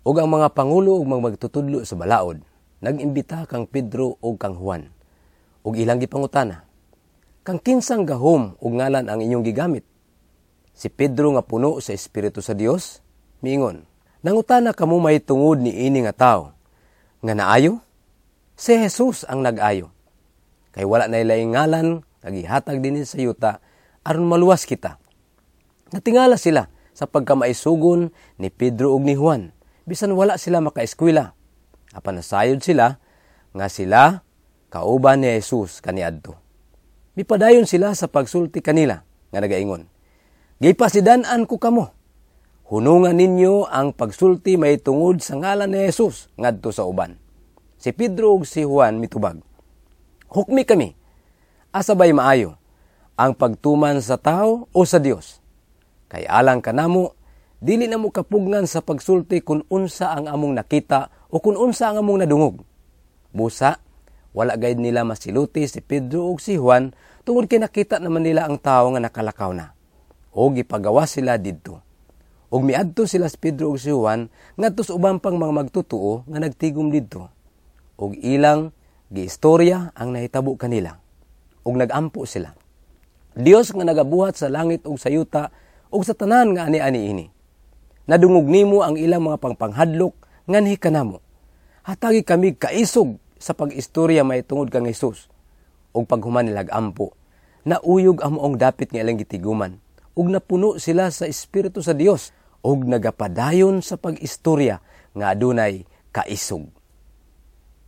Ug ang mga pangulo ug mga magtutudlo sa balaod nag-imbita kang Pedro ug kang Juan. Ug ilang gipangutana, "Kang kinsang gahom ug ngalan ang inyong gigamit?" Si Pedro nga puno sa Espiritu sa Dios, miingon, "Nangutana kamo mahitungod ni ini nga tawo nga naayo? Si Jesus ang nag-ayo. Kay wala na laing ngalan nga gihatag dinhi sa yuta aron maluwas kita." Natingala sila sa pagkamaisugon ni Pedro ug ni Juan, bisan wala sila makaeskwela. Apan nasayod sila nga sila kauban ni Jesus kaniadto. Mipadayon sila sa pagsulti kanila nga nagaingon, "Gipasidan-an ko kamo. Hunungan ninyo ang pagsulti mahitungod sa ngalan ni Jesus ngadto sa uban." Si Pedro ug si Juan mitubag, "Hukmi kami. Asa bay maayo, ang pagtuman sa tao o sa Dios? Kay alang kanamo, dili na mo kapugngan sa pagsulti kung unsa ang among nakita o kung unsa ang among nadungog." Busa, wala gayud nila masiluti si Pedro ug si Juan tungod kay nakita naman nila ang tawo nga nakalakaw na. O gipagawas sila didto. Ug miadto sila si Pedro ug si Juan ngadto sa uban pang mga magtutuo nga nagtigom didto. Ug ilang giistorya ang nahitabo kanila. Ug nagampo sila. "Dios nga nagabuhat sa langit ug sa yuta ug sa tanan nga ani-ani ini. Nadungog nimo ang ilang mga pangpanghadlok nganhi kanamo. Hatagi kami kaisog sa pag-istorya mahitungod kang Jesus." Ug paghuman nila ampo, nauyog ang maong dapit nga ilang gitiguman ug napuno sila sa Espiritu sa Dios ug nagapadayon sa pag-istorya nga adunay kaisog.